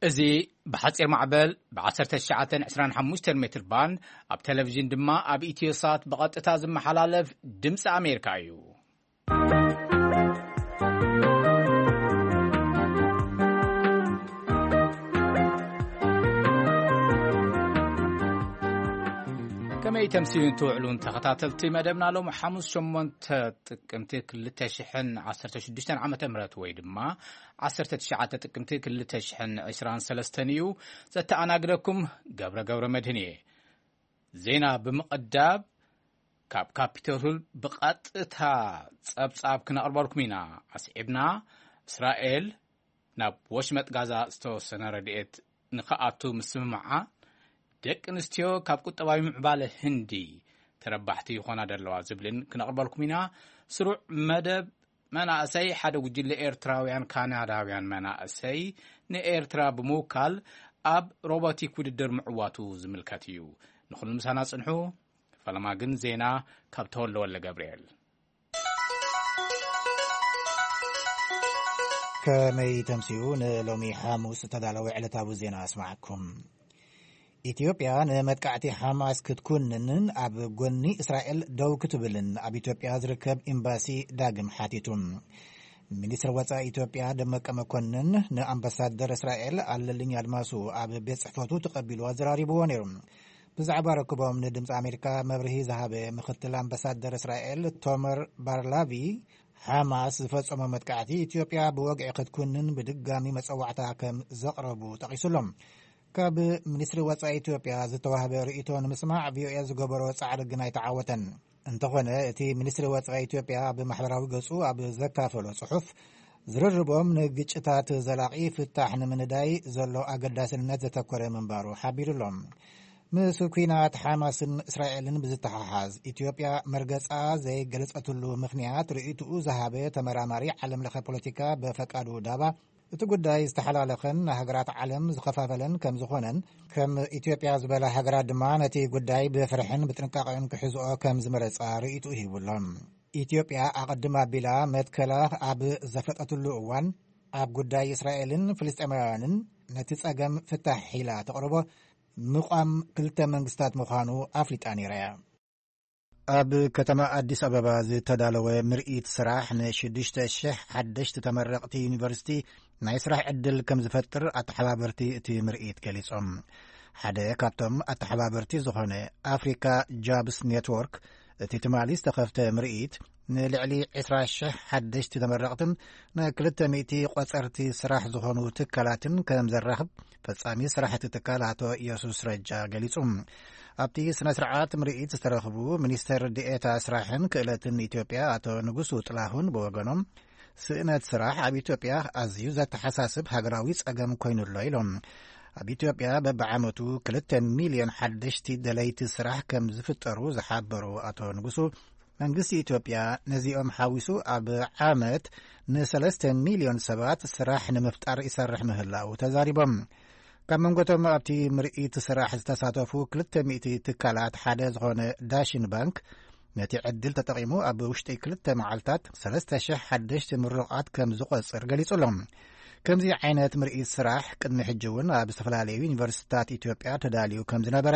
እዚ ብሓጺር ማዕበል ብ1925 ሜትር ባንድ፣ ኣብ ቴሌቪዥን ድማ ኣብ ኢትዮሳት ብቐጥታ ዝመሓላለፍ ድምፂ ኣሜሪካ እዩ። ከመይ ተምሲሉን ትውዕሉን ተኸታተልቲ መደብና፣ ሎም ሓሙስ ሸሞንተ ጥቅምቲ ክልተ ሽሕን ዓሰርተ ሽዱሽተን ዓመተ ምህረት ወይ ድማ ዓሰርተ ትሽዓተ ጥቅምቲ ክልተ ሽሕን ዕስራን ሰለስተን እዩ። ዘተኣናግደኩም ገብረ ገብረ መድህን እየ። ዜና ብምቕዳብ ካብ ካፒቶል ሂል ብቐጥታ ጸብጻብ ክነቕርበልኩም ኢና። ኣስዒብና፣ እስራኤል ናብ ወሽመጥ ጋዛ ዝተወሰነ ረድኤት ንኽኣቱ ምስምማዓ፣ ደቂ ኣንስትዮ ካብ ቁጠባዊ ምዕባለ ህንዲ ተረባሕቲ ይኾና ደለዋ ዝብልን ክነቕርበልኩም ኢና። ስሩዕ መደብ መናእሰይ፣ ሓደ ጉጅለ ኤርትራውያን ካናዳውያን መናእሰይ ንኤርትራ ብምውካል ኣብ ሮቦቲክ ውድድር ምዕዋቱ ዝምልከት እዩ። ንኹሉ ምሳና ጽንሑ። ፈለማ ግን ዜና ካብ ተወልደ ወልደ ገብርኤል። ከመይ ተምስዩ ንሎሚ ሓሙስ ዝተዳለወ ዕለታዊ ዜና ኣስማዓኩም። ኢትዮጵያ ንመጥቃዕቲ ሓማስ ክትኩንንን ኣብ ጎኒ እስራኤል ደው ክትብልን ኣብ ኢትዮጵያ ዝርከብ ኤምባሲ ዳግም ሓቲቱ። ሚኒስትሪ ወጻኢ ኢትዮጵያ ደመቀ መኮንን ንኣምባሳደር እስራኤል ኣለልኝ ኣድማሱ ኣብ ቤት ጽሕፈቱ ተቐቢሉ ኣዘራሪብዎ ነይሩ። ብዛዕባ ርክቦም ንድምፂ ኣሜሪካ መብርሂ ዝሃበ ምክትል ኣምባሳደር እስራኤል ቶመር ባርላቪ፣ ሓማስ ዝፈጸሞ መጥቃዕቲ ኢትዮጵያ ብወግዒ ክትኩንን ብድጋሚ መጸዋዕታ ከም ዘቕረቡ ጠቒሱሎም። ካብ ሚኒስትሪ ወጻኢ ኢትዮጵያ ዝተዋህበ ርእይቶ ንምስማዕ ቪኦኤ ዝገበሮ ጻዕሪ ግን ኣይተዓወተን። እንተኾነ፣ እቲ ሚኒስትሪ ወጻኢ ኢትዮጵያ ኣብ ማሕበራዊ ገጹ ኣብ ዘካፈሎ ጽሑፍ፣ ዝርርቦም ንግጭታት ዘላቒ ፍታሕ ንምንዳይ ዘሎ ኣገዳስነት ዘተኮረ ምንባሩ ሓቢሩሎም። ምስ ኲናት ሓማስን እስራኤልን ብዝተሓሓዝ፣ ኢትዮጵያ መርገጻ ዘይገለጸትሉ ምኽንያት ርእይትኡ ዝሃበ ተመራማሪ ዓለም ለኸ ፖለቲካ በፈቃዱ ዳባ፣ እቲ ጉዳይ ዝተሓላለኸን ንሃገራት ዓለም ዝኸፋፈለን ከም ዝኾነን፣ ከም ኢትዮጵያ ዝበላ ሃገራት ድማ ነቲ ጉዳይ ብፍርሕን ብጥንቃቄን ክሕዝኦ ከም ዝመረጻ ርእይትኡ ሂቡሎም። ኢትዮጵያ ኣቐድም ኣቢላ መትከላ ኣብ ዘፍለጠትሉ እዋን፣ ኣብ ጉዳይ እስራኤልን ፍልስጤማውያንን ነቲ ጸገም ፍታሕ ኢላ ተቕርቦ ምቋም ክልተ መንግስታት ምዃኑ ኣፍሊጣ ነይራ እያ። ኣብ ከተማ ኣዲስ ኣበባ ዝተዳለወ ምርኢት ስራሕ ንሽዱሽተ ሽሕ ሓደሽቲ ተመረቕቲ ዩኒቨርሲቲ ናይ ስራሕ ዕድል ከም ዝፈጥር ኣተሓባበርቲ እቲ ምርኢት ገሊጾም። ሓደ ካብቶም ኣተሓባበርቲ ዝኾነ ኣፍሪካ ጃብስ ኔትወርክ፣ እቲ ትማሊ ዝተኸፍተ ምርኢት ንልዕሊ ዕስራ ሽሕ ሓደሽቲ ተመረቕትን ንክልተ ሚእቲ ቆጸርቲ ስራሕ ዝኾኑ ትካላትን ከም ዘራኽብ ፈጻሚ ስራሕ እቲ ትካል ኣቶ ኢየሱስ ረጃ ገሊጹ። ኣብቲ ስነ ስርዓት ምርኢት ዝተረኽቡ ሚኒስተር ዲኤታ ስራሕን ክእለትን ኢትዮጵያ ኣቶ ንጉሱ ጥላሁን ብወገኖም፣ ስእነት ስራሕ ኣብ ኢትዮጵያ ኣዝዩ ዘተሓሳስብ ሃገራዊ ጸገም ኮይኑ ኣሎ ኢሎም። ኣብ ኢትዮጵያ በብዓመቱ ክልተ ሚልዮን ሓደሽቲ ደለይቲ ስራሕ ከም ዝፍጠሩ ዝሓበሩ ኣቶ ንጉሱ፣ መንግስቲ ኢትዮጵያ ነዚኦም ሓዊሱ ኣብ ዓመት ንሰለስተ ሚልዮን ሰባት ስራሕ ንምፍጣር ይሰርሕ ምህላዉ ተዛሪቦም። ካብ መንጎቶም ኣብቲ ምርኢት ስራሕ ዝተሳተፉ ክልተ ሚእቲ ትካላት ሓደ ዝኾነ ዳሽን ባንክ፣ ነቲ ዕድል ተጠቒሙ ኣብ ውሽጢ ክልተ መዓልታት ሰለስተ ሽሕ ሓደሽቲ ምሩቓት ከም ዝቖጽር ገሊጹ ኣሎ። ከምዚ ዓይነት ምርኢት ስራሕ ቅድሚ ሕጂ እውን ኣብ ዝተፈላለዩ ዩኒቨርሲቲታት ኢትዮጵያ ተዳልዩ ከም ዝነበረ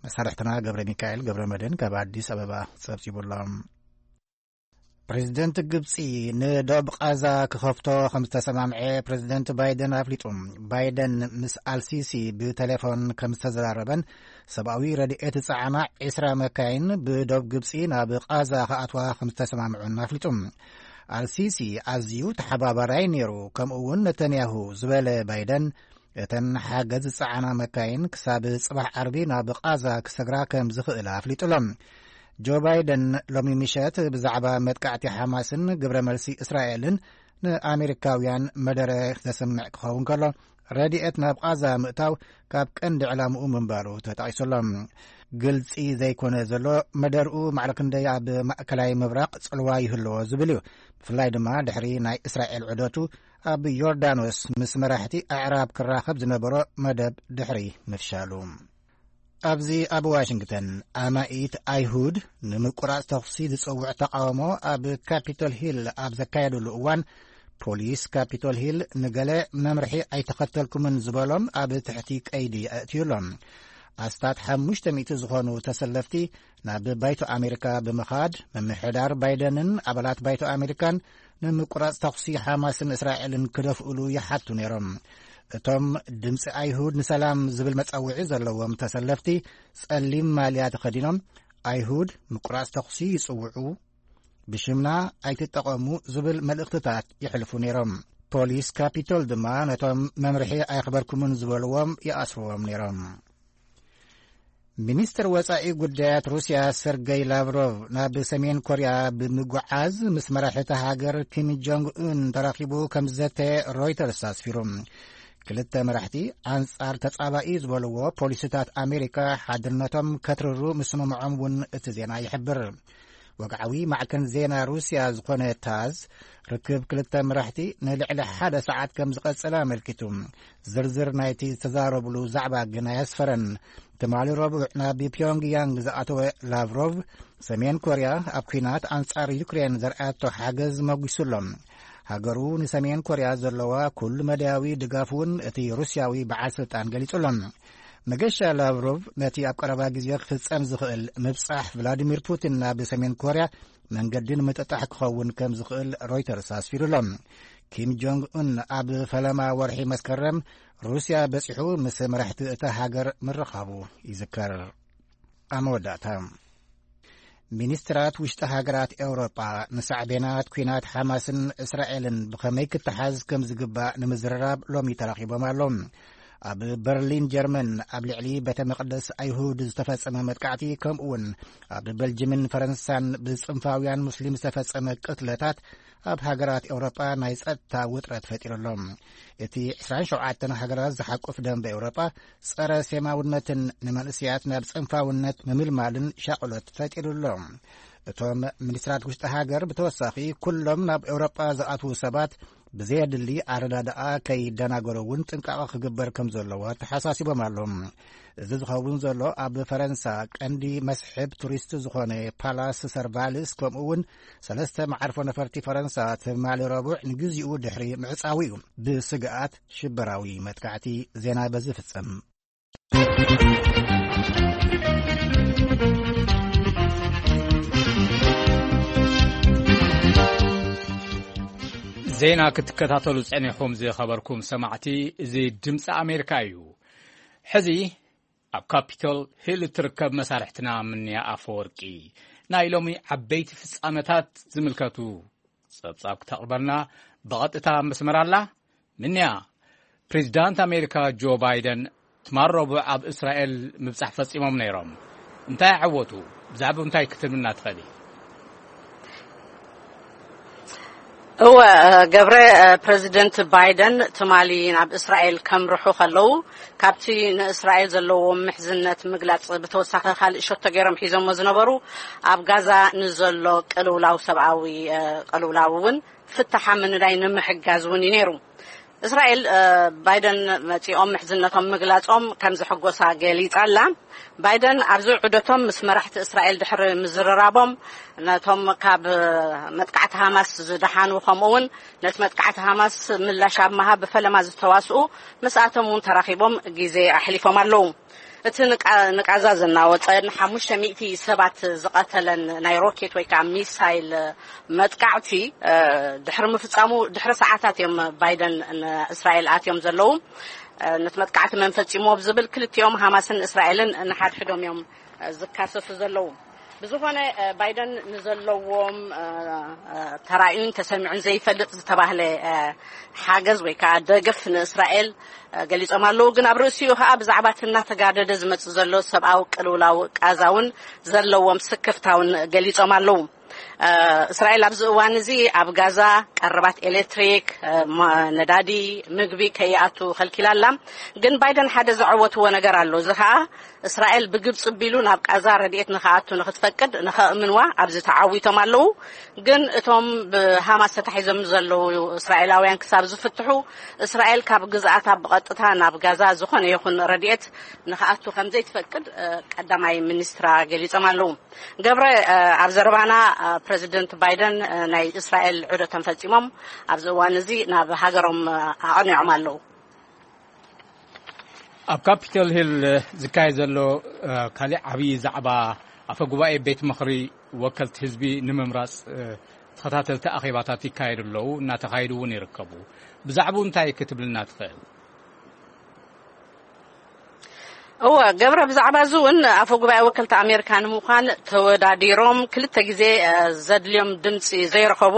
መሳርሕትና ገብረ ሚካኤል ገብረ መድህን ካብ ኣዲስ ኣበባ ጸብጺቡ ኣሎ። ፕሬዚደንት ግብጺ ንዶብ ቃዛ ክኸፍቶ ከም ዝተሰማምዐ ፕሬዚደንት ባይደን ኣፍሊጡ። ባይደን ምስ ኣልሲሲ ብቴሌፎን ከም ዝተዘራረበን ሰብኣዊ ረድኤት ዝጸዓና ዕስራ መካይን ብዶብ ግብጺ ናብ ቃዛ ክኣትዋ ከም ዝተሰማምዑን ኣፍሊጡ። ኣልሲሲ ኣዝዩ ተሓባባራይ ነይሩ፣ ከምኡ እውን ነተንያሁ ዝበለ ባይደን፣ እተን ሓገዝ ዝጸዓና መካይን ክሳብ ጽባሕ ዓርቢ ናብ ቃዛ ክሰግራ ከም ዝኽእላ ኣፍሊጡ ኣሎ። ጆ ባይደን ሎሚ ምሸት ብዛዕባ መጥቃዕቲ ሓማስን ግብረ መልሲ እስራኤልን ንኣሜሪካውያን መደረ ዘስምዕ ክኸውን ከሎ፣ ረድኤት ናብ ቃዛ ምእታው ካብ ቀንዲ ዕላምኡ ምንባሩ ተጠቒሱ ኣሎ። ግልጺ ዘይኮነ ዘሎ መደርኡ ማዕረ ክንደይ ኣብ ማእከላይ ምብራቕ ጽልዋ ይህልዎ ዝብል እዩ። ብፍላይ ድማ ድሕሪ ናይ እስራኤል ዑደቱ ኣብ ዮርዳኖስ ምስ መራሕቲ ኣዕራብ ክራኸብ ዝነበሮ መደብ ድሕሪ ምፍሻሉ። ኣብዚ ኣብ ዋሽንግተን፣ ኣማኢት ኣይሁድ ንምቁራጽ ተኹሲ ዝጽውዕ ተቃውሞ ኣብ ካፒቶል ሂል ኣብ ዘካየዱሉ እዋን፣ ፖሊስ ካፒቶል ሂል ንገለ መምርሒ ኣይተኸተልኩምን ዝበሎም ኣብ ትሕቲ ቀይዲ ኣእትዩሎም። ኣስታት ሓሙሽተ ሚእቲ ዝኾኑ ተሰለፍቲ ናብ ባይቶ ኣሜሪካ ብምኻድ፣ ምምሕዳር ባይደንን ኣባላት ባይቶ ኣሜሪካን ንምቁራጽ ተኹሲ ሓማስን እስራኤልን ክደፍእሉ ይሓቱ ነይሮም። እቶም ድምፂ ኣይሁድ ንሰላም ዝብል መጸውዒ ዘለዎም ተሰለፍቲ፣ ጸሊም ማልያ ተኸዲኖም፣ ኣይሁድ ምቁራጽ ተኹሲ ይጽውዑ፣ ብሽምና ኣይትጠቐሙ ዝብል መልእኽትታት ይሕልፉ ነይሮም። ፖሊስ ካፒቶል ድማ ነቶም መምርሒ ኣየኽበርኩምን ዝበልዎም ይኣስርዎም ነይሮም። ሚኒስትር ወጻኢ ጉዳያት ሩስያ ሰርገይ ላቭሮቭ ናብ ሰሜን ኮርያ ብምጉዓዝ ምስ መራሒ እታ ሃገር ኪም ጆንግ ኡን ተራኺቡ ከም ዝዘተ ሮይተርስ ኣስፊሩ። ክልተ መራሕቲ ኣንጻር ተጻባኢ ዝበልዎ ፖሊሲታት ኣሜሪካ ሓድነቶም ከትርሩ ምስምምዖም እውን እቲ ዜና ይሕብር። ወግዓዊ ማዕከን ዜና ሩስያ ዝኾነ ታዝ፣ ርክብ ክልተ መራሕቲ ንልዕሊ ሓደ ሰዓት ከም ዝቐጸለ ኣመልኪቱ። ዝርዝር ናይቲ ዝተዛረብሉ ዛዕባ ግን ኣየስፈረን። ትማሊ ረቡዕ ናብ ፒዮንግያንግ ዝኣተወ ላቭሮቭ፣ ሰሜን ኮርያ ኣብ ኲናት ኣንጻር ዩክሬን ዘርኣያቶ ሓገዝ መጒሱሎም። ሃገሩ ንሰሜን ኮርያ ዘለዋ ኩሉ መዳያዊ ድጋፍ እውን እቲ ሩስያዊ በዓል ስልጣን ገሊጹሎም። መገሻ ላቭሮቭ ነቲ ኣብ ቀረባ ግዜ ክፍጸም ዝኽእል ምብጻሕ ቭላዲሚር ፑቲን ናብ ሰሜን ኮርያ መንገዲ ንምጥጣሕ ክኸውን ከም ዝኽእል ሮይተርስ ኣስፊሩሎ። ኪም ጆንግ ኡን ኣብ ፈለማ ወርሒ መስከረም ሩስያ በጺሑ ምስ መራሕቲ እታ ሃገር ምርኻቡ ይዝከር። ኣብ መወዳእታ፣ ሚኒስትራት ውሽጢ ሃገራት ኤውሮጳ ንሳዕቤናት ኲናት ሓማስን እስራኤልን ብኸመይ ክተሓዝ ከም ዝግባእ ንምዝርራብ ሎሚ ተራኺቦም ኣለዉ። ኣብ በርሊን ጀርመን ኣብ ልዕሊ ቤተ መቕደስ ኣይሁድ ዝተፈጸመ መጥቃዕቲ፣ ከምኡ እውን ኣብ በልጅምን ፈረንሳን ብጽንፋውያን ሙስሊም ዝተፈጸመ ቅትለታት ኣብ ሃገራት ኤውሮጳ ናይ ጸጥታ ውጥረት ፈጢሩ ኣሎ። እቲ ዕስራን ሸውዓተን ሃገራት ዝሓቁፍ ደንበ ኤውሮጳ ጸረ ሴማውነትን ንመንእሰያት ናብ ጽንፋውነት ምምልማልን ሻቕሎት ፈጢሩ ኣሎ። እቶም ሚኒስትራት ውሽጢ ሃገር ብተወሳኺ ኩሎም ናብ ኤውሮጳ ዝኣትዉ ሰባት ብዘየድሊ ኣረዳድኣ ከይደናገሩ እውን ጥንቃቐ ክግበር ከም ዘለዎ ተሓሳሲቦም ኣለዉ። እዚ ዝኸውን ዘሎ ኣብ ፈረንሳ ቀንዲ መስሕብ ቱሪስት ዝኾነ ፓላስ ሰርቫልስ ከምኡ እውን ሰለስተ መዓርፎ ነፈርቲ ፈረንሳ ትማሊ ረቡዕ ንግዚኡ ድሕሪ ምዕጻዉ እዩ። ብስግኣት ሽበራዊ መጥቃዕቲ ዜና በዚ ፍጸም። ዜና ክትከታተሉ ጸኒሕኩም ዝኸበርኩም ሰማዕቲ፣ እዚ ድምፂ ኣሜሪካ እዩ። ሕዚ ኣብ ካፒቶል ሂል እትርከብ መሳርሕትና ምንያ ኣፈወርቂ ናይ ሎሚ ዓበይቲ ፍጻመታት ዝምልከቱ ጸብጻብ ክተቕርበልና ብቐጥታ ኣብ መስመር ኣላ። ምንያ፣ ፕሬዚዳንት ኣሜሪካ ጆ ባይደን ትማል ረቡዕ ኣብ እስራኤል ምብጻሕ ፈጺሞም ነይሮም። እንታይ ኣዐወቱ? ብዛዕባ እንታይ ክትብልና ትኽእሊ? እወ፣ ገብረ፣ ፕሬዚደንት ባይደን ትማሊ ናብ እስራኤል ከምርሑ ከለዉ፣ ካብቲ ንእስራኤል ዘለዎም ምሕዝነት ምግላጽ ብተወሳኺ ካልእ ሸቶ ገይሮም ሒዞሞ ዝነበሩ፣ ኣብ ጋዛ ንዘሎ ቅልውላው፣ ሰብኣዊ፣ እ፣ ቅልውላው እውን ፍታሓ ምንዳይ ንምሕጋዝ እውን እዩ ነይሩ። እስራኤል፣ እ፣ ባይደን መጺኦም ምሕዝነቶም ምግላጾም ከም ዘሐጎሳ ገሊጻ ኣላ። ባይደን ኣብዚ ዑደቶም ምስ መራሕቲ እስራኤል ድሕሪ ምዝርራቦም፣ ነቶም ካብ መጥቃዕቲ ሃማስ ዝደሓኑ፣ ከምኡ እውን ነቲ መጥቃዕቲ ሃማስ ምላሽ ኣብ ምሃብ ብፈለማ ዝተዋስኡ ምስኣቶም እውን ተራኺቦም ግዜ ኣሕሊፎም ኣለዉ። እቲ ንቃ-፣ ንቃዛ ዘናወጸን ሓሙሽተ ሚእቲ ሰባት ዝቐተለን ናይ ሮኬት ወይ ከዓ ሚሳይል መጥቃዕቲ፣ እ፣ ድሕሪ ምፍጻሙ ድሕሪ ሰዓታት እዮም ባይደን ንእስራኤል ኣትዮም ዘለዉ። እ፣ ነቲ መጥቃዕቲ መን ፈጺምዎ ብዝብል ክልቲኦም ሃማስን እስራኤልን ንሓድሕዶም እዮም፣ እ፣ ዝካሰሱ ዘለዉ። ብዝኾነ፣ እ፣ ባይደን ንዘለዎም፣ እ፣ እ፣ ተራእዩን ተሰሚዑን ዘይፈልጥ ዝተባህለ፣ እ፣ ሓገዝ ወይ ከዓ ደገፍ ንእስራኤል፣ እ፣ ገሊጾም ኣለዉ። ግን ኣብ ርእሲኡ ከዓ ብዛዕባ እቲ እናተጋደደ ዝመጽእ ዘሎ ሰብኣዊ ቅልውላው ቃዛ እውን ዘለዎም ስክፍታውን ገሊጾም ኣለዉ። እ፣ እስራኤል ኣብዚ እዋን እዚ ኣብ ጋዛ ቀረባት ኤሌክትሪክ፣ እ፣ ማ-፣ ነዳዲ፣ ምግቢ ከይኣቱ ከልኪላ ኣላ። ግን ባይደን ሓደ ዘዐወትዎ ነገር ኣሎ። እዚ ከዓ እስራኤል ብግብጺ ኣቢሉ ናብ ቃዛ ረድኤት ንኽኣቱ ንኽትፈቅድ ንኸእምንዋ ኣብዚ ተዓዊቶም ኣለዉ። ግን እቶም ብሃማስ ተታሒዞም ዘለዉ እስራኤላውያን ክሳብ ዝፍትሑ፣ እስራኤል ካብ ግዝኣታ ብቐጥታ ናብ ጋዛ ዝኾነ ይኹን ረድኤት ንኽኣቱ ከም ዘይትፈቅድ፣ እ፣ ቀዳማይ ሚኒስትራ ገሊጾም ኣለዉ። ገብረ፣ እ፣ ኣብ ዘረባና ፕረዚደንት ባይደን ናይ እስራኤል ዑደቶም ፈጺሞም ኣብዚ እዋን እዚ ናብ ሃገሮም ኣቕኒዖም ኣለዉ። ኣብ ካፒቶል ሂል ዝካየድ ዘሎ ካልእ ዓብዪ ዛዕባ፣ ኣፈ ጉባኤ ቤት ምኽሪ ወከልቲ ህዝቢ ንምምራጽ ተኸታተልቲ ኣኼባታት ይካየዱ ኣለዉ፣ እናተኻየዱ እውን ይርከቡ። ብዛዕባኡ እንታይ ክትብልና ትኽእል? እወ ገብረ፣ ብዛዕባ እዚ እውን ኣፈ ጉባኤ ወከልቲ ኣሜሪካ ንምዃን ተወዳዲሮም ክልተ ግዜ ዘድልዮም ድምፂ ዘይረኸቡ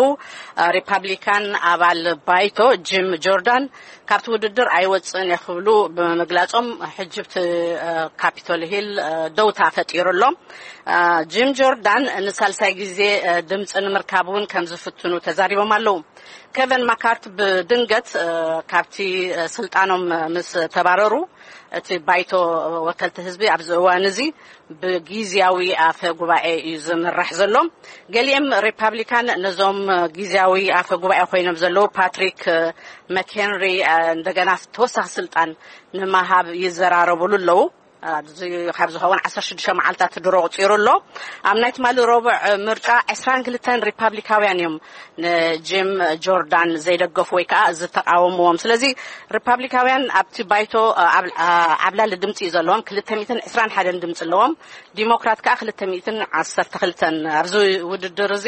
ሪፓብሊካን ኣባል ባይቶ ጂም ጆርዳን ካብቲ ውድድር ኣይወፅእን እየ ክብሉ ብምግላፆም ሕጂ ብቲ ካፒቶል ሂል ደውታ ፈጢሩ ኣሎ። ጂም ጆርዳን ንሳልሳይ ግዜ ድምፂ ንምርካብ እውን ከም ዝፍትኑ ተዛሪቦም ኣለዉ። ኬቨን ማካርት ብድንገት ካብቲ ስልጣኖም ምስ ተባረሩ፣ እቲ ባይቶ ወከልቲ ህዝቢ ኣብዚ እዋን እዚ ብግዝያዊ ኣፈ ጉባኤ እዩ ዝምራሕ ዘሎ። ገሊኦም ሪፓብሊካን ነዞም ግዝያዊ ኣፈ ጉባኤ ኮይኖም ዘለዉ ፓትሪክ መክሄንሪ እንደገና ተወሳኺ ስልጣን ንምሃብ ይዘራረቡሉ ኣለዉ። ካብ ዝኸውን ዓሰርተ ሽዱሽተ መዓልታት ድሮ ቁፂሩ ኣሎ። ኣብ ናይ ትማሊ ረቡዕ ምርጫ ዕስራን ክልተን ሪፓብሊካውያን እዮም ንጂም ጆርዳን ዘይደገፉ ወይ ከዓ ዝተቃወምዎም። ስለዚ ሪፓብሊካውያን ኣብቲ ባይቶ ዓብላሊ ድምፂ እዩ ዘለዎም፣ ክልተ ሚእትን ዕስራን ሓደን ድምፂ ኣለዎም። ዲሞክራት ከዓ ክልተ ሚእትን ዓሰርተ ክልተን። ኣብዚ ውድድር እዚ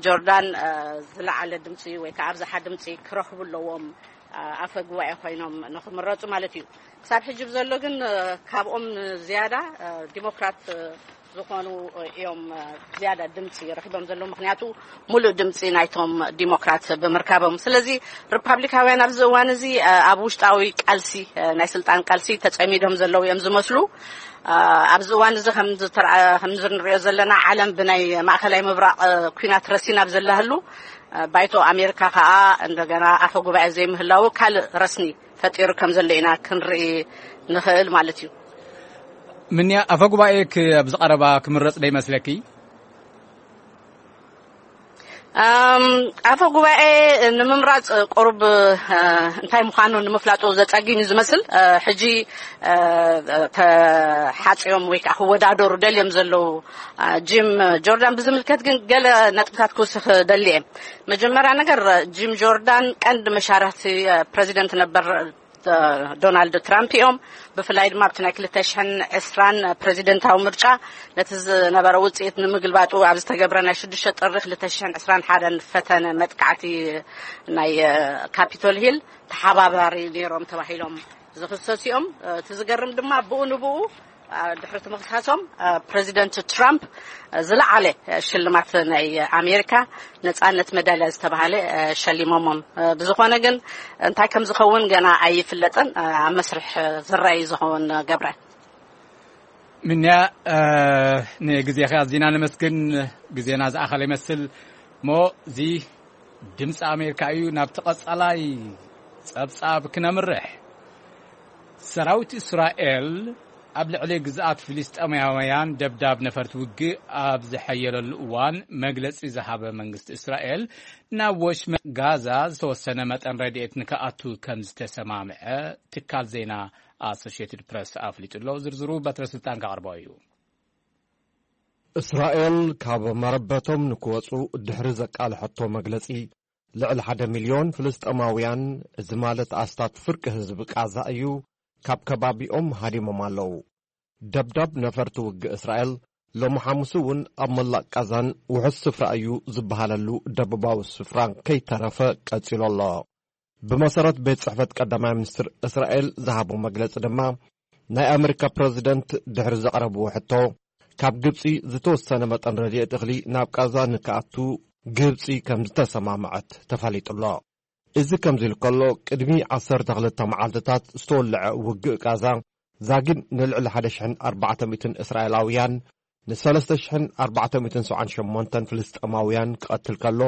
ጆርዳን ዝለዓለ ድምፂ ወይ ከዓ ኣብዝሓ ድምፂ ክረኽቡ ኣለዎም፣ ኣፈ ጉባኤ ኮይኖም ንክምረፁ ማለት እዩ። ክሳብ ሕጂ ብዘሎ ግን ካብኦም ዝያዳ ዲሞክራት ዝኾኑ እዮም ዝያዳ ድምፂ ረኪቦም ዘለዉ፣ ምክንያቱ ሙሉእ ድምፂ ናይቶም ዲሞክራት ብምርካቦም። ስለዚ ሪፓብሊካውያን ኣብዚ እዋን እዚ ኣብ ውሽጣዊ ቃልሲ፣ ናይ ስልጣን ቃልሲ ተፀሚዶም ዘለዉ እዮም ዝመስሉ። ኣብዚ እዋን እዚ ከምዚ ንሪኦ ዘለና ዓለም ብናይ ማእከላይ ምብራቕ ኩናት ረሲና ኣብ ዘላህሉ፣ ባይቶ ኣሜሪካ ከዓ እንደገና ኣፈ ጉባኤ ዘይምህላዉ ካልእ ረስኒ ፈጢሩ ከም ዘሎ ኢና ክንርኢ ንኽእል ማለት እዩ። ምንያ፣ ኣፈ ጉባኤ ኣብዚ ቀረባ ክምረፅ ዶ ይመስለኪ? ኣፈ ጉባኤ ንምምራፅ ቁሩብ እንታይ ምዃኑ ንምፍላጡ ዘፀግም እዩ ዝመስል። ሕጂ ተሓፅዮም ወይ ከዓ ክወዳደሩ ደልዮም ዘለዉ ጂም ጆርዳን ብዝምልከት ግን ገለ ነጥብታት ክውስኽ ደሊ እየ። መጀመርያ ነገር፣ ጂም ጆርዳን ቀንዲ መሻርክቲ ፕረዚደንት ነበር ዶናልድ ትራምፕ እዮም። ብፍላይ ድማ ኣብቲ ናይ ክልተ ሽሕን ዕስራን ፕረዚደንታዊ ምርጫ ነቲ ዝነበረ ውፅኢት ንምግልባጡ ኣብ ዝተገብረ ናይ ሽዱሽተ ጥሪ ክልተ ሽሕን ዕስራን ሓደን ፈተነ መጥቃዕቲ ናይ ካፒቶል ሂል ተሓባባሪ ነይሮም ተባሂሎም ዝኽሰሱ እዮም። እቲ ዝገርም ድማ ብኡ ንብኡ ድሕሪ እቲ ምኽሳሶም ፕረዚደንት ትራምፕ ዝለዓለ ሽልማት ናይ ኣሜሪካ ነፃነት መዳልያ ዝተባሃለ ሸሊሞሞም። ብዝኾነ ግን እንታይ ከም ዝኸውን ገና ኣይፍለጥን። ኣብ መስርሕ ዝረኣይ ዝኸውን ገብረ። ምንያ፣ ንግዜኻ ኣዚና ነመስግን። ግዜና ዝኣኸለ ይመስል እሞ፣ እዚ ድምፂ ኣሜሪካ እዩ። ናብቲ ቀፃላይ ፀብፃብ ክነምርሕ፣ ሰራዊት እስራኤል ኣብ ልዕሊ ግዝኣት ፍልስጤማውያን ደብዳብ ነፈርቲ ውግእ ኣብ ዝሐየለሉ እዋን መግለፂ ዝሃበ መንግስቲ እስራኤል፣ ናብ ወሽመጥ ጋዛ ዝተወሰነ መጠን ረድኤት ንክኣቱ ከም ዝተሰማምዐ ትካል ዜና ኣሶሽየትድ ፕረስ ኣፍሊጡ ኣሎ። ዝርዝሩ በትረ ስልጣን ከቕርቦ እዩ። እስራኤል ካብ መረበቶም ንክወፁ ድሕሪ ዘቃልሐቶ መግለፂ፣ ልዕሊ ሓደ ሚልዮን ፍልስጤማውያን፣ እዚ ማለት ኣስታት ፍርቂ ህዝቢ ቃዛ እዩ፣ ካብ ከባቢኦም ሃዲሞም ኣለዉ። ደብዳብ ነፈርቲ ውግእ እስራኤል ሎሚ ሓሙስ እውን ኣብ መላእ ቃዛን ውሑስ ስፍራ እዩ ዝበሃለሉ ደቡባዊ ስፍራን ከይተረፈ ቀጺሉ ኣሎ። ብመሰረት ቤት ጽሕፈት ቀዳማይ ሚኒስትር እስራኤል ዝሃቦ መግለጺ ድማ፣ ናይ ኣመሪካ ፕረዚደንት ድሕሪ ዘቕረብዎ ሕቶ፣ ካብ ግብጺ ዝተወሰነ መጠን ረድኤት እኽሊ ናብ ቃዛ ንክኣቱ ግብጺ ከም ዝተሰማምዐት ተፈሊጡ ኣሎ። እዚ ከምዚ ኢሉ ከሎ፣ ቅድሚ ዓሰርተ ክልተ መዓልትታት ዝተወልዐ ውግእ ቃዛ ዛጊድ ንልዕሊ ሓደ ሽሕን ኣርባዕተ ሚእትን እስራኤላውያን፣ ንሰለስተ ሽሕን ኣርባዕተ ሚእትን ሰብዓን ሸሞንተን ፍልስጤማውያን ክቐትል ከሎ፣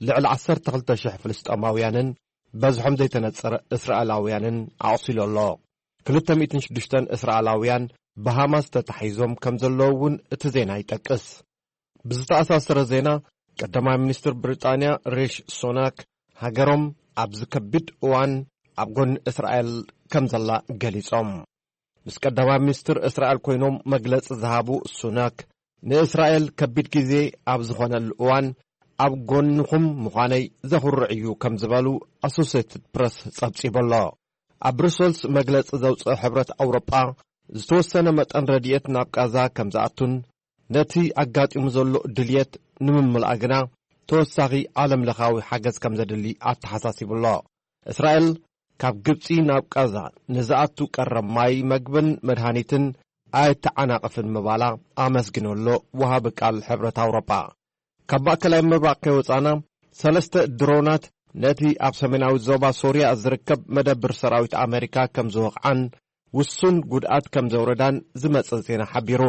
ልዕሊ ዓሰርተ ክልተ ሽሕ ፍልስጤማውያንን በዝሖም ዘይተነጸረ እስራኤላውያንን ኣቑሲሉ ኣሎ። ክልተ ሚእትን ሽዱሽተን እስራኤላውያን ብሃማስ ተታሒዞም ከም ዘለዉ እውን እቲ ዜና ይጠቅስ። ብዝተኣሳሰረ ዜና፣ ቀዳማይ ሚኒስትር ብሪጣንያ ሪሽ ሱናክ፣ ሃገሮም ኣብዚ ከቢድ እዋን ኣብ ጎኒ እስራኤል ከም ዘላ ገሊጾም። ምስ ቀዳማይ ሚኒስትር እስራኤል ኮይኖም መግለጺ ዝሃቡ ሱናክ፣ ንእስራኤል ከቢድ ግዜ ኣብ ዝኾነሉ እዋን ኣብ ጎንኹም ምዃነይ ዘኹርዕ እዩ ከም ዝበሉ ኣሶሴትድ ፕረስ ጸብጺቡ ኣሎ። ኣብ ብሩሰልስ መግለጺ ዘውጽአ ሕብረት ኣውሮጳ ዝተወሰነ መጠን ረድኤት ናብ ቃዛ ከም ዝኣቱን ነቲ ኣጋጢሙ ዘሎ ድልየት ንምምላእ ግና ተወሳኺ ዓለም ለኻዊ ሓገዝ ከም ዘድሊ ኣተሓሳሲቡ ኣሎ። እስራኤል ካብ ግብጺ ናብ ቃዛ ንዝኣቱ ቀረብ ማይ፣ መግብን መድሃኒትን ኣይተዓናቕፍን ምባላ ኣመስጊኑ ኣሎ ወሃቢ ቃል ሕብረት ኣውሮጳ። ካብ ማእከላይ ምብራቕ ከይወጻና ሰለስተ ድሮናት ነቲ ኣብ ሰሜናዊ ዞባ ሶርያ ዝርከብ መደብር ሰራዊት ኣመሪካ ከም ዝወቕዓን ውሱን ጉድኣት ከም ዘውረዳን ዝመጸ ዜና ሓቢሩ።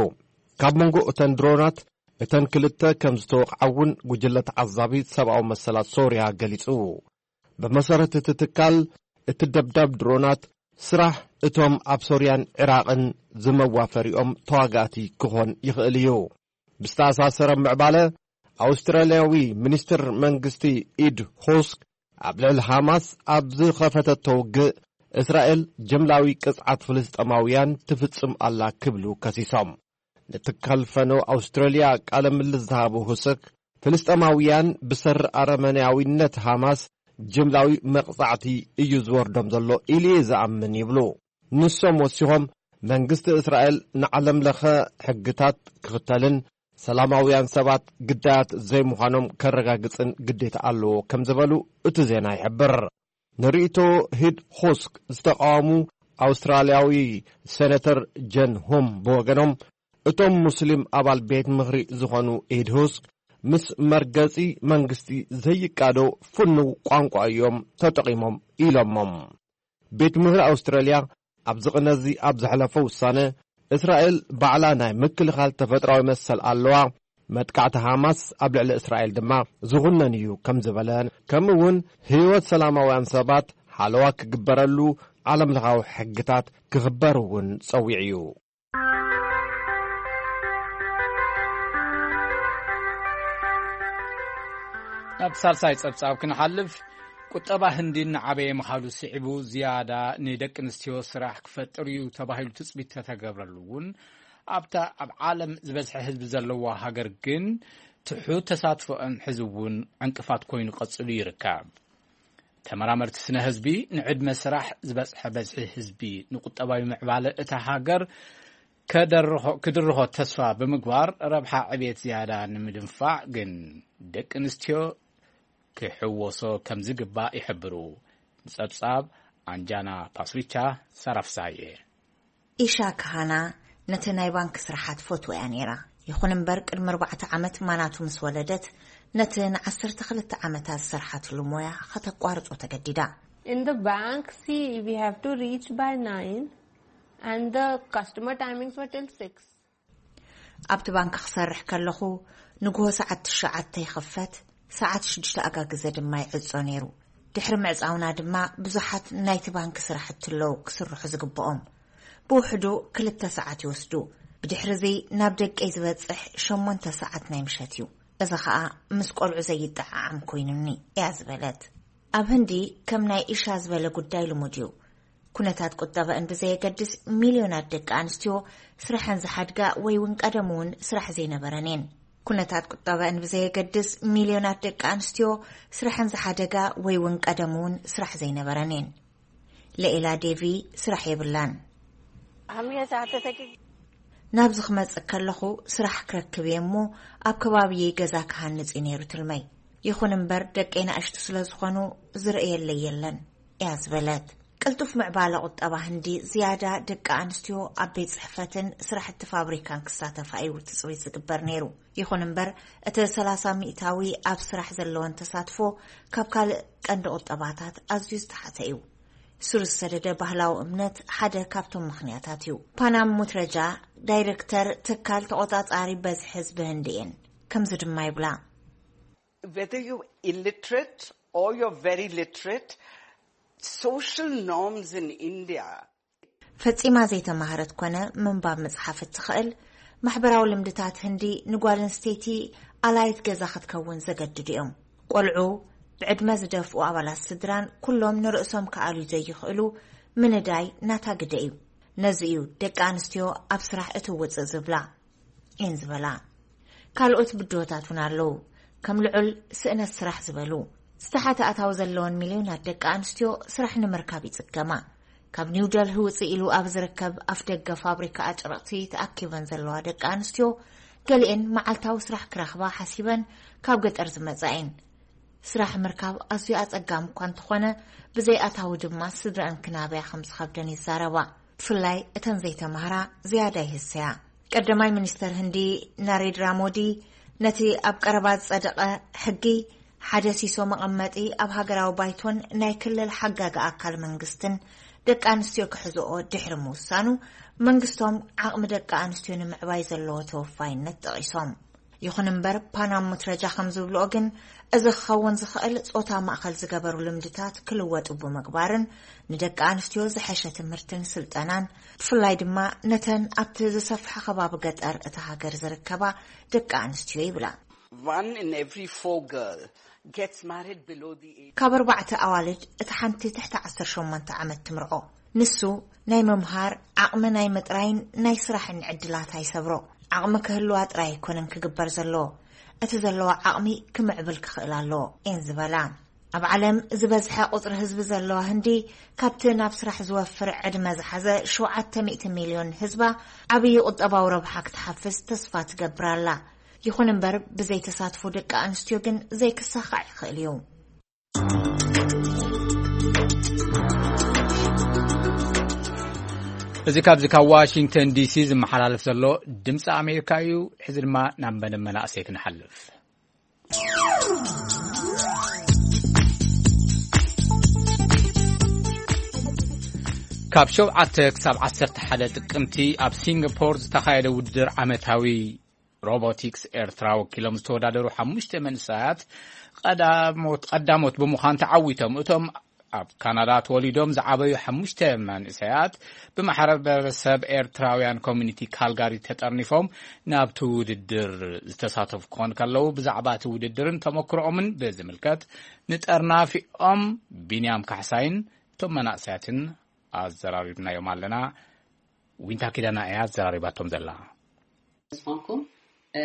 ካብ መንጎ እተን ድሮናት እተን ክልተ ከም ዝተወቕዓ እውን ጉጅለ ተዓዛቢ ሰብኣዊ መሰላት ሶርያ ገሊጹ። ብመሰረት እቲ ትካል፣ እቲ ደብዳብ ድሮናት ስራሕ እቶም ኣብ ሶርያን ዒራቕን ዝመዋፈሪኦም ተዋጋእቲ ክኾን ይኽእል እዩ። ብዝተኣሳሰረ ምዕባለ፣ ኣውስትራልያዊ ሚኒስትር መንግስቲ ኢድ ሆስክ ኣብ ልዕሊ ሃማስ ኣብ ዝኸፈተቶ ውግእ እስራኤል ጅምላዊ ቅጽዓት ፍልስጤማውያን ትፍጽም ኣላ ክብሉ ከሲሶም። ንትካል ፈነው ኣውስትራልያ ቃለ ምልስ ዝሃቡ ሁስክ፣ ፍልስጤማውያን ብሰሪ ኣረመኔያዊነት ሃማስ ጅምላዊ መቕጻዕቲ እዩ ዝወርዶም ዘሎ ኢሉ እየ ዝኣምን ይብሉ። ንሶም ወሲኾም፣ መንግስቲ እስራኤል ንዓለም ለኸ ሕግታት ክኽተልን ሰላማውያን ሰባት ግዳያት ዘይምዃኖም ከረጋግጽን ግዴታ ኣለዎ ከም ዝበሉ እቲ ዜና ይሕብር። ንርእይቶ ሂድ ሆስክ ዝተቃወሙ ኣውስትራልያዊ ሴነተር ጀን ሆም ብወገኖም፣ እቶም ሙስሊም ኣባል ቤት ምኽሪ ዝኾኑ ኢድ ሆስክ ምስ መርገጺ መንግስቲ ዘይቃዶ ፍኑው ቋንቋ እዮም ተጠቒሞም ኢሎሞም። ቤት ምኽሪ ኣውስትራልያ ኣብዚ ቅነዚ ኣብ ዘሕለፎ ውሳነ፣ እስራኤል ባዕላ ናይ ምክልኻል ተፈጥራዊ መሰል ኣለዋ፣ መጥቃዕቲ ሃማስ ኣብ ልዕሊ እስራኤል ድማ ዝኹነን እዩ ከም ዝበለ፣ ከምኡ እውን ህይወት ሰላማውያን ሰባት ሓለዋ ክግበረሉ ዓለም ለኻዊ ሕግታት ክኽበር እውን ጸዊዑ እዩ። ናብ ሳልሳይ ጸብጻብ ክንሓልፍ፣ ቁጠባ ህንዲ እናዓበየ ምኻዱ ስዒቡ ዝያዳ ንደቂ ኣንስትዮ ስራሕ ክፈጥር እዩ ተባሂሉ ትጽቢት ተተገብረሉ እውን ኣብታ ኣብ ዓለም ዝበዝሐ ህዝቢ ዘለዋ ሃገር ግን ትሑት ተሳትፎአን ሕዚ እውን ዕንቅፋት ኮይኑ ቀጺሉ ይርከብ። ተመራመርቲ ስነ ህዝቢ ንዕድመ ስራሕ ዝበጽሐ በዝሒ ህዝቢ ንቁጠባዊ ምዕባለ እታ ሃገር ክድርኾ ተስፋ ብምግባር ረብሓ ዕብየት ዝያዳ ንምድንፋዕ ግን ደቂ ኣንስትዮ ክሕወሶ ከም ዝግባእ ይሕብሩ። ንጸብጻብ ኣንጃና ፓስሪቻ ሰራፍሳየ። ኢሻ ካሃና ነቲ ናይ ባንክ ስራሓት ፈትዎ እያ ነይራ። ይኹን እምበር ቅድሚ ኣርባዕተ ዓመት ማናቱ ምስ ወለደት ነቲ ንዓሰርተ ክልተ ዓመታት ዝሰርሓትሉ ሞያ ከተቋርጾ ተገዲዳ። In the bank, see, we have to reach by nine and the customer timings were till six. ኣብቲ ባንክ ክሰርሕ ከለኹ ንግሆ ሰዓት ትሽዓተ ይኽፈት፣ ሰዓት ሽዱሽተ ኣጋግዘ ድማ ይዕጾ ነይሩ። ድሕሪ ምዕጻውና ድማ ብዙሓት ናይቲ ባንክ ስራሕቲ ኣለዉ ክስርሑ ዝግብኦም። ብውሕዱ ክልተ ሰዓት ይወስዱ። ብድሕሪ እዚ ናብ ደቀይ ዝበጽሕ ሸሞንተ ሰዓት ናይ ምሸት እዩ። እዚ ኸኣ ምስ ቆልዑ ዘይጠዓዓም ኮይኑኒ እያ ዝበለት። ኣብ ህንዲ ከም ናይ ኢሻ ዝበለ ጉዳይ ልሙድ እዩ። ኩነታት ቁጠበእን ብዘየገድስ ሚልዮናት ደቂ ኣንስትዮ ስራሐን ዝሓድጋ ወይ እውን ቀደም እውን ስራሕ ዘይነበረን እየን። ኩነታት ቁጠበእን ብዘየገድስ ሚልዮናት ደቂ ኣንስትዮ ስራሐን ዝሓደጋ ወይ እውን ቀደም እውን ስራሕ ዘይነበረን እየን። ለኢላ ዴቪ ስራሕ የብላን። ናብዚ ክመጽእ ከለኹ ስራሕ ክረክብ እየ እሞ ኣብ ከባቢየይ ገዛ ክሃንጽ እዩ ነይሩ ትልመይ። ይኹን እምበር ደቀይ ናእሽቱ ስለ ዝኾኑ ዝርእየለይ የለን እያ ዝበለት። ቅልጡፍ ምዕባለ ቁጠባ ህንዲ ዝያዳ ደቂ ኣንስትዮ ኣብ ቤት ጽሕፈትን ስራሕቲ ፋብሪካን ክሳተፋ እዩ ትጽቢት ዝግበር ነይሩ። ይኹን እምበር እቲ ሰላሳ ሚእታዊ ኣብ ስራሕ ዘለወን ተሳትፎ ካብ ካልእ ቀንዲ ቁጠባታት ኣዝዩ ዝተሓተ እዩ። ስር ዝሰደደ ባህላዊ እምነት ሓደ ካብቶም ምኽንያታት እዩ። ፓናም ሙትረጃ ዳይረክተር ትካል ተቖጻጻሪ በዝሒ ህዝቢ ህንዲ እየን። ከምዚ ድማ ይብላ። Whether you're illiterate or you're very literate, social norms in India ፈጺማ ዘይተማህረት ኮነ ምንባብ ምጽሓፍ እትኽእል ማሕበራዊ ልምድታት ህንዲ ንጓል ኣንስተይቲ ኣላይት ገዛ ክትከውን ዘገድዱ እዮም። ቆልዑ፣ ብዕድመ ዝደፍኡ ኣባላት ስድራን ኩሎም ንርእሶም ክኣልዩ ዘይኽእሉ ምንዳይ ናታ ግደ እዩ። ነዚ እዩ ደቂ ኣንስትዮ ኣብ ስራሕ እትውጽእ ዝብላ እየን ዝበላ። ካልኦት ብድሆታት እውን ኣለዉ። ከም ልዑል ስእነት ስራሕ ዝበሉ ዝተሓተ ኣታዊ ዘለወን ሚልዮናት ደቂ ኣንስትዮ ስራሕ ንምርካብ ይጽገማ። ካብ ኒው ደልሂ ውጽእ ኢሉ ኣብ ዝርከብ ኣፍደገ ፋብሪካ ኣጭርቕቲ ተኣኪበን ዘለዋ ደቂ ኣንስትዮ፣ ገሊኤን መዓልታዊ ስራሕ ክረኽባ ሓሲበን ካብ ገጠር ዝመጻ እየን። ስራሕ ምርካብ ኣዝዩ ኣጸጋሚ እኳ እንተኾነ፣ ብዘይ ኣታዊ ድማ ስድረአን ክናብያ ከም ዝኸብደን ይዛረባ። ብፍላይ እተን ዘይተማህራ ዝያዳ ይህሰያ። ቀዳማይ ሚኒስተር ህንዲ ናሬንድራ ሞዲ ነቲ ኣብ ቀረባ ዝጸደቐ ሕጊ፣ ሓደ ሲሶ መቐመጢ ኣብ ሃገራዊ ባይቶን ናይ ክልል ሓጋጊ ኣካል መንግስትን ደቂ ኣንስትዮ ክሕዝኦ ድሕሪ ምውሳኑ፣ መንግስቶም ዓቕሚ ደቂ ኣንስትዮ ንምዕባይ ዘለዎ ተወፋይነት ጠቒሶም። ይኹን እምበር፣ ፓናም ሙትረጃ ከም ዝብልኦ ግን፣ እዚ ክኸውን ዝኽእል ጾታ ማእከል ዝገበሩ ልምድታት ክልወጡ ብምግባርን፣ ንደቂ ኣንስትዮ ዝሐሸ ትምህርትን ስልጠናን፣ ብፍላይ ድማ ነተን ኣብቲ ዝሰፍሐ ከባቢ ገጠር እታ ሃገር ዝርከባ ደቂ ኣንስትዮ ይብላ። One in every four girl gets married below the age ካብ ኣርባዕተ ኣዋልድ እቲ ሓንቲ ትሕቲ ዓሰርተ ሸሞንተ ዓመት ትምርዖ። ንሱ ናይ ምምሃር ዓቕሚ ናይ ምጥራይን ናይ ስራሕን ዕድላት ኣይሰብሮ። ዓቕሚ ክህልዋ ጥራይ ኣይኮነን ክግበር ዘለዎ፣ እቲ ዘለዎ ዓቕሚ ክምዕብል ክኽእል ኣለዎ እየን ዝበላ። ኣብ ዓለም ዝበዝሐ ቁጽሪ ህዝቢ ዘለዋ ህንዲ፣ ካብቲ ናብ ስራሕ ዝወፍር ዕድመ ዝሓዘ ሸውዓተ ሚእቲ ሚልዮን ህዝባ፣ ዓብዪ ቁጠባዊ ረብሓ ክትሓፍስ ተስፋ ትገብር ኣላ። ይኹን እምበር፣ ብዘይ ተሳትፎ ደቂ ኣንስትዮ ግን ዘይክሳኻዕ ይኽእል እዩ። እዚ ካብዚ ካብ ዋሽንግተን ዲሲ ዝመሓላለፍ ዘሎ ድምፂ ኣሜሪካ እዩ። ሕዚ ድማ ናብ መደብ መናእሰይ ክንሓልፍ። ካብ ሸውዓተ ክሳብ ዓሰርተ ሓደ ጥቅምቲ ኣብ ሲንጋፖር ዝተኻየደ ውድድር ዓመታዊ ሮቦቲክስ ኤርትራ ወኪሎም ዝተወዳደሩ ሓሙሽተ መንእሰያት ቀዳሞት፣ ቀዳሞት ብምዃን ተዓዊቶም። እቶም ኣብ ካናዳ ተወሊዶም ዝዓበዩ ሓሙሽተ መንእሰያት ብማሕበረሰብ ኤርትራውያን ኮሚኒቲ ካልጋሪ ተጠርኒፎም ናብቲ ውድድር ዝተሳተፉ ክኾኑ ከለዉ፣ ብዛዕባ እቲ ውድድርን ተመክሮኦምን ብዝምልከት ንጠርናፊኦም ቢንያም ካሕሳይን እቶም መናእሰያትን ኣዘራሪብናዮም ኣለና። ዊንታ ኪዳና እያ ኣዘራሪባቶም ዘላ። ዝኾንኩም፣ እ፣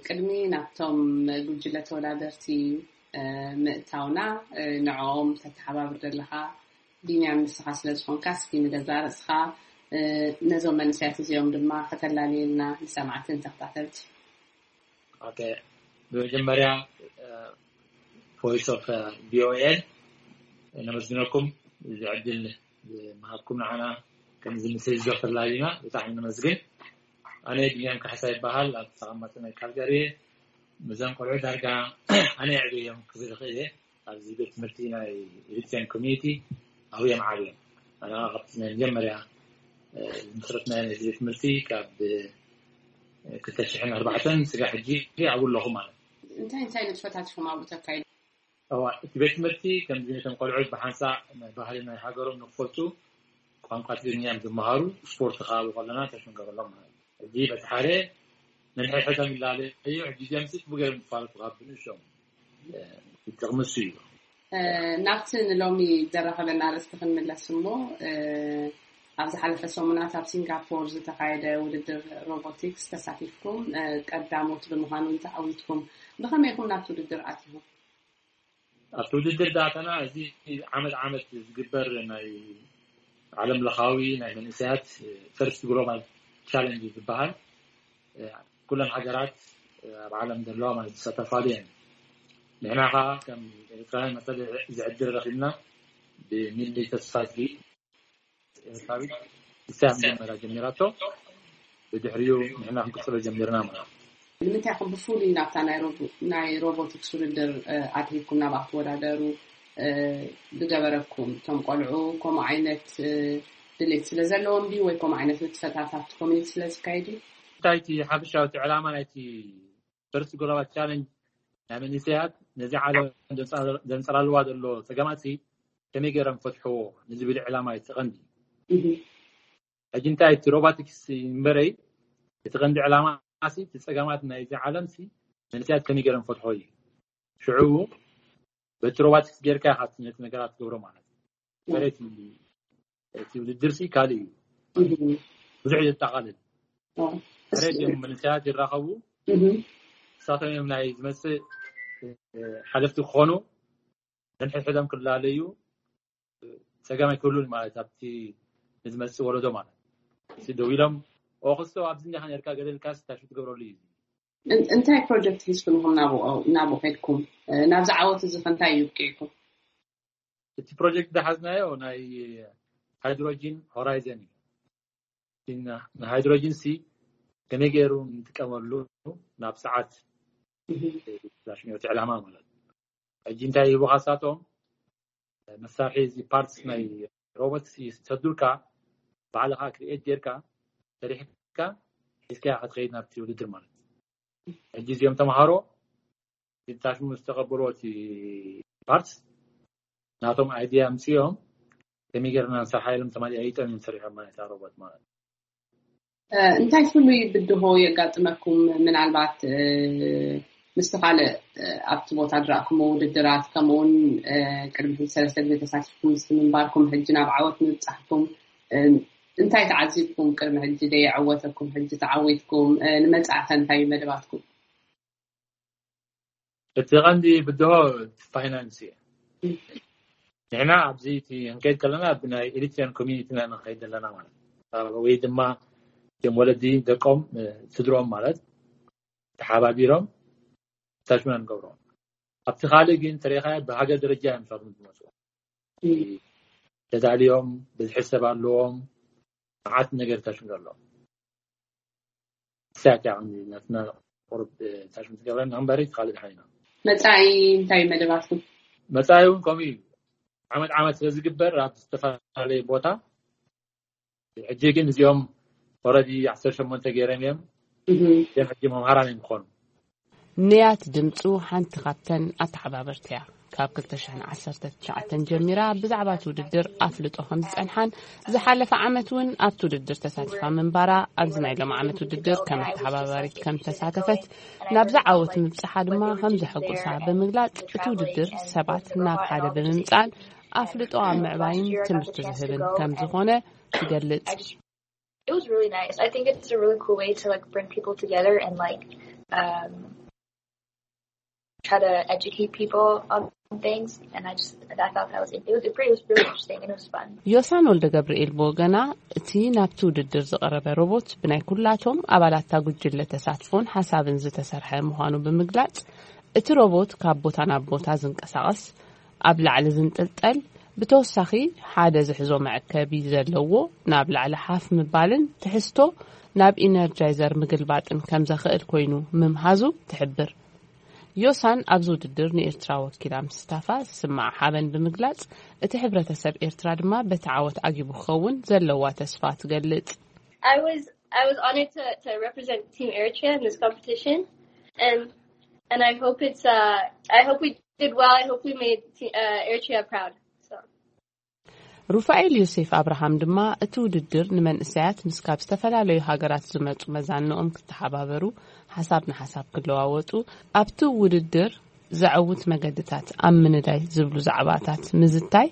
ቅድሚ ናብቶም ጉጅለ ተወዳደርቲ፣ እ፣ ምእታውና፣ እ፣ ንዕኦም ተተሓባብር ዘለኻ ቢንያም ንስኻ ስለ ዝኾንካ፣ እስኪ ንገዛ ርእስኻ፣ እ፣ ነዞም መንእሰያት እዚኦም ድማ ከተላልየልና ንሰማዕትን ተኸታተልቲ። ኦኬ፣ ብመጀመርያ፣ እ፣ ቮይስ ኦፍ፣ እ፣ ቪ ኦ ኤ ነመስግነኩም፣ እዚ ዕድል ዝመሃብኩም ንዓና ከምዚ ምስ ህዝቢ ክተላልዩና ብጣዕሚ ነመስግን። ኣነ ቢንያም ካሕሳ ይበሃል፣ ኣብ ተቐማጢ ናይ ካልጋሪ እየ። ምስዞም ቆልዑ ዳርጋ ኣነ የዕብዮም ክብል ይኽእል እየ። ኣብዚ ቤት ትምህርቲ ናይ ኤሪትሪያን ኮሚኒቲ ኣብዮም ዓብዮም። ኣነ ካብቲ ናይ መጀመርያ፣ እ፣ ዝመስረትናዮ ናይ ቤት ትምህርቲ ካብ፣ እ፣ ክልተ ሽሕን ኣርባዕተን ስጋብ ሕጂ ኣብኡ ኣለኹ ማለት እዩ። እንታይ እንታይ ንጥፈታት ኢኹም ኣብኡ ተካይዱ? እዋ፣ እቲ ቤት ትምህርቲ ከምዚ ነቶም ቆልዑት ብሓንሳእ ናይ ባህሊ ናይ ሃገሮም ንክፈልጡ ቋንቋ ትግርኛ እዮም ዝመሃሩ፣ ስፖርት ከዓ ኣብኡ ከለና ተሽ ንገብረሎም ማለት እዩ። ሕጂ በቲ ሓደ ነንሕድሕዶም ይላለዩ፣ ሕጂ እዚኦም ሲ ጽቡቅ ገይሮም ይፋለጡ ካብ ብንእሽቶም፣ እ፣ እቲ ጥቕሚ እሱ እዩ። እ፣ ናብቲ ንሎሚ ዘራኸበና ኣርእስቲ ክንምለስ እሞ፣ እ፣ ኣብ ዝሓለፈ ሰሙናት ኣብ ሲንጋፖር ዝተኻየደ ውድድር ሮቦቲክስ ተሳቲፍኩም፣ እ፣ ቀዳሞት ብምዃን እውን ተዓዊትኩም። ብኸመይ ኢኹም ናብቲ ውድድር ኣቲኹም? ኣብቲ ውድድር ዳታና እዚ ዓመት ዓመት ዝግበር ናይ ዓለም ለኻዊ ናይ መንእሰያት ፈርስት ግሎባል ቻለንጅ ዝበሃል፣ ኩለን ሃገራት ኣብ ዓለም ዘለዋ ማለት ዝሳተፋሉ እየን። ንሕና ኸዓ ከም ኤርትራውያን መጠን እዚ ዕድል ረኺብና ብሚሊ ተስፋዝጊ ኤርትራዊት ንሳ መጀመርያ ጀሚራቶ፣ ብድሕሪኡ ንሕና ክንቅጽሎ ጀሚርና ማለት እዩ። ንምንታይ ኢኹም ብፍሉይ ናብታ ናይ ሮቦ-፣ ናይ ሮቦቲክስ ውድድር፣ እ፣ ኣትሪብኩም ናብኣ ክትወዳደሩ፣ እ፣ ዝገበረኩም? እቶም ቆልዑ ከምኡ ዓይነት፣ እ፣ ድሌት ስለ ዘለዎም ድዩ ወይ ከምኡ ዓይነት ንጥፈታት ኣብቲ ኮሚኒቲ ስለ ዝካየድ እዩ? እንታይ እቲ ሓፈሻዊ እቲ ዕላማ ናይቲ ፈርስት ግሎባል ቻለንጅ ናይ መንእሰያት ነዚ ዓለም ዘንጸላልዋ ዘሎ ጸገማት ከመይ ገይሮም ፈትሕዎ ንዝብል ዕላማ እዩ እቲ ቀንዲ። እህ። ሕጂ እንታይ እቲ ሮቦቲክስ እምበረይ እቲ ቀንዲ ዕላማ ሲ እቲ ጸገማት ናይዚ ዓለም ሲ መንእሰያት ከመይ ገይሮም ፈትሖ እዩ። ሽዑ በቲ ሮቦቲክስ ጌርካ ኢኻ ነቲ ነገራት ትገብሮ ማለት እዩ። እህ። በረቲ እቲ ውድድር ሲ ካልእ እዩ። እህ። ብዙሕ እዩ ዘጠቓልል። ኦ፣ እሱ። ሕረድ እዮም መንእሰያት ይራኸቡ። እህ። ንሳቶም እዮም ናይ ዝመፅእ ሓለፍቲ ክኾኑ፣ ነንሕድሕዶም ክላለዩ ፀገም ኣይክህሉን ማለት ኣብቲ ንዝመፅእ ወለዶ ማለት። ደው ኢሎም ኦክስቶ ኣብዚ እንዲኻ ነርካ ገለልካ ስታሽ ትገብረሉ እዩ። እንታይ ፕሮጀክት ሒዝኩም ኢኹም ናብኡ ከድኩም? ናብዚ ዓወት እዚ ከ እንታይ እዩ ኣብቂዕኩም? እቲ ፕሮጀክት ዝሓዝናዮ ናይ ሃይድሮጂን ሆራይዘን እዩ። ንሃይድሮጂን ሲ ከመይ ገይሩ ንጥቀመሉ ናብ ሰዓት ናሽኖቲ ዕላማ ማለት። ሕጂ እንታይ ሂቡካ ሳቶም መሳርሒ እዚ ፓርትስ ናይ ሮቦት ይሰዱልካ፣ ባዕልኻ ክሪኤት ጌርካ ሰሪሕካ ሒዝካ ክትኸይድ ናብቲ ውድድር ማለት። ሕጂ እዚኦም ተምሃሮ ታሽሙ ዝተቐበልዎ እቲ ፓርትስ ናቶም ኣይዲያ ኣምፅኦም ከመይ ጌርና ንሰርሓ ኢሎም ተማሊኣይጦም እዮም ሰሪሖም ማለት እታ ሮቦት ማለት። እንታይ ፍሉይ ብድሆ የጋጥመኩም? ምናልባት ምስቲ ካልእ ኣብቲ ቦታ ዝረእኩሞ ውድድራት ከምኡውን ቅድሚ ሕጂ ሰለስተ ግዜ ተሳቲፍኩም ምስ ምንባርኩም ሕጂ ናብ ዓወት ምብፃሕኩም እንታይ ተዓዚብኩም? ቅድሚ ሕጂ ደየዐወተኩም ሕጂ ተዓዊትኩም ንመፃእኸ እንታይ እዩ መደባትኩም? እቲ ቀንዲ ብድሆ ፋይናንስ እዩ። ንሕና ኣብዚ እቲ ክንከይድ ከለና ብናይ ኤሪትሪያን ኮሚኒቲ ኢና ንኸይድ ዘለና ማለት ወይ ድማ እቶም ወለዲ ደቆም ስድሮም ማለት ተሓባቢሮም ታሽሙና ንገብሮም። ኣብቲ ካልእ ግን ተሪኻ ብሃገር ደረጃ እዮም ሳቶም ዝመፁ ተዳልዮም ብዝሒ ሰብ ኣለዎም መዓት ነገር ታሽሙ ኣሎ። ሳት ያው ናትና ቁርብ ታሽሙ ትገብረና እምበሪ ካልእ ሓይና መፃኢ እንታይ መደባትኩም? መፃኢ እውን ከምኡ እዩ። ዓመት ዓመት ስለ ዝግበር ኣብ ዝተፈላለየ ቦታ ሕጂ ግን እዚኦም ኦረዲ ዓሰርተ ሸሞንተ ገይረን እዮም። እዚኦም ሕጂ መምሃራን እዮም ክኾኑ። ንያት ድምፁ ሓንቲ ካብተን ኣተሓባበርቲ እያ። ካብ ክልተ ሽሕን ዓሰርተ ትሽዓተን ጀሚራ ብዛዕባ እቲ ውድድር ኣፍልጦ ከም ዝፀንሓን ዝሓለፈ ዓመት እውን ኣብቲ ውድድር ተሳቲፋ ምንባራ ኣብዚ ናይ ሎም ዓመት ውድድር ከም ኣተሓባባሪት ከም ተሳተፈት ናብዚ ዓወት ምብፅሓ ድማ ከም ዘሐጎሳ ብምግላፅ እቲ ውድድር ሰባት ናብ ሓደ ብምምፃን ኣፍልጦ ኣብ ምዕባይን ትምህርቲ ዝህብን ከም ዝኾነ ትገልፅ። It was really nice. I think it's a really cool way to like bring people together and like um, try to educate people on things. And I just I thought that was it was pretty it was really interesting and it was fun. ዮሳን ወልደ ገብርኤል ብወገና እቲ ናብቲ ውድድር ዝቐረበ ሮቦት ብናይ ኩላቶም ኣባላታ ጉጅለ ተሳትፎን ሓሳብን ዝተሰርሐ ምዃኑ ብምግላጽ እቲ ሮቦት ካብ ቦታ ናብ ቦታ ዝንቀሳቐስ ኣብ ላዕሊ ዝንጥልጠል ብተወሳኺ ሓደ ዝሕዞ መዐከቢ ዘለዎ ናብ ላዕሊ ሓፍ ምባልን ትሕዝቶ ናብ ኢነርጃይዘር ምግልባጥን ከም ዘኽእል ኮይኑ ምምሃዙ ትሕብር። ዮሳን ኣብዚ ውድድር ንኤርትራ ወኪላ ምስታፋ ዝስምዓ ሓበን ብምግላጽ እቲ ሕብረተሰብ ኤርትራ ድማ በቲ ዓወት ዓጊቡ ክኸውን ዘለዋ ተስፋ ትገልጽ። I was I was honored to, to represent Team Eritrea in this competition, and and I hope it's uh I hope we did well. I hope we made uh, Eritrea proud. So. ሩፋኤል ዮሴፍ ኣብርሃም ድማ እቲ ውድድር ንመንእሰያት ምስ ካብ ዝተፈላለዩ ሃገራት ዝመፁ መዛንኦም ክተሓባበሩ ሓሳብ ንሓሳብ ክለዋወጡ ኣብቲ ውድድር ዘዐውት መገድታት ኣብ ምንዳይ ዝብሉ ዛዕባታት ምዝታይ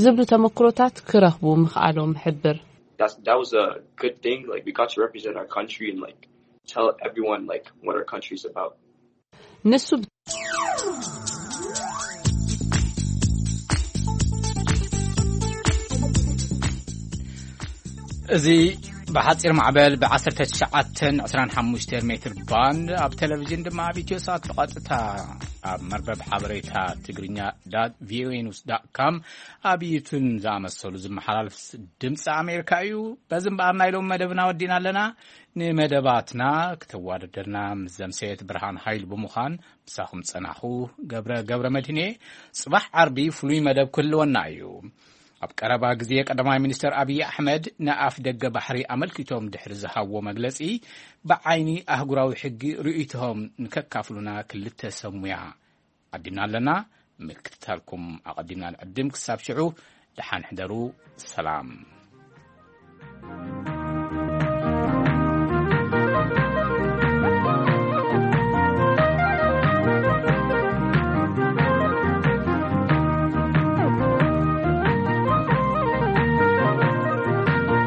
ዝብሉ ተመክሮታት ክረኽቡ ምኽኣሎም ሕብር። That's, that was a good thing. Like we got to represent our country and like tell everyone like what our country is about. ንሱ እዚ ብሓፂር ማዕበል ብ19 25 ሜትር ባንድ ኣብ ቴሌቪዥን ድማ ኣብ ኢትዮ ሳት ብቐጥታ ኣብ መርበብ ሓበሬታ ትግርኛ ቪኦኤ ኒውስ ዳት ካም ኣብ ዩቱብ ዝኣመሰሉ ዝመሓላለፍ ድምፂ ኣሜሪካ እዩ። በዚ እምበኣር ናይ ሎም መደብና ወዲና ኣለና። ንመደባትና ክተዋደደና ምስ ዘምሰየት ብርሃን ሃይሉ ብምዃን ምሳኹም ጸናኹ። ገብረ ገብረ መድህኔ። ጽባሕ ዓርቢ ፍሉይ መደብ ክህልወና እዩ። ኣብ ቀረባ ግዜ ቀዳማይ ሚኒስተር ኣብይ ኣሕመድ ንኣፍ ደገ ባሕሪ ኣመልኪቶም ድሕሪ ዝሃብዎ መግለጺ ብዓይኒ ኣህጉራዊ ሕጊ ርእይቶኦም ንከካፍሉና ክልተ ሰብ ሙያ ዓዲምና ኣለና። ምክትታልኩም ኣቐዲምና ንዕድም። ክሳብ ሽዑ ደሓን ሕደሩ። ሰላም።